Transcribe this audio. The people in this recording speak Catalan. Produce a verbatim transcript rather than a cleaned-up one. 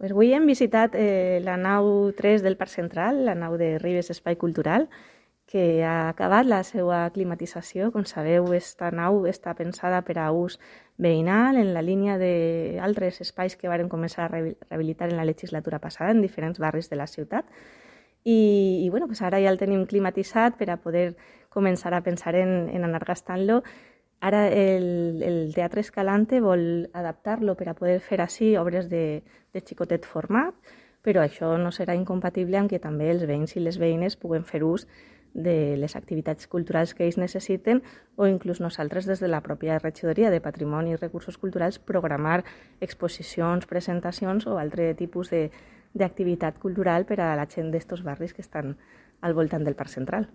Pues avui hem visitat eh, la nau tres del Parc Central, la nau de Ribes Espai Cultural, que ha acabat la seva climatització. Com sabeu, aquesta nau està pensada per a ús veïnal en la línia d'altres espais que varen començar a rehabilitar en la legislatura passada en diferents barris de la ciutat. I, i bueno, pues ara ja el tenim climatitzat per a poder començar a pensar en, en anar gastant-lo. Ara el, el Teatre Escalante vol adaptar-lo per a poder fer així obres de, de xicotet format, però això no serà incompatible amb que també els veïns i les veïnes puguen fer ús de les activitats culturals que ells necessiten, o inclús nosaltres des de la pròpia regidoria de Patrimoni i Recursos Culturals programar exposicions, presentacions o altre tipus d'activitat cultural per a la gent d'estos barris que estan al voltant del Parc Central.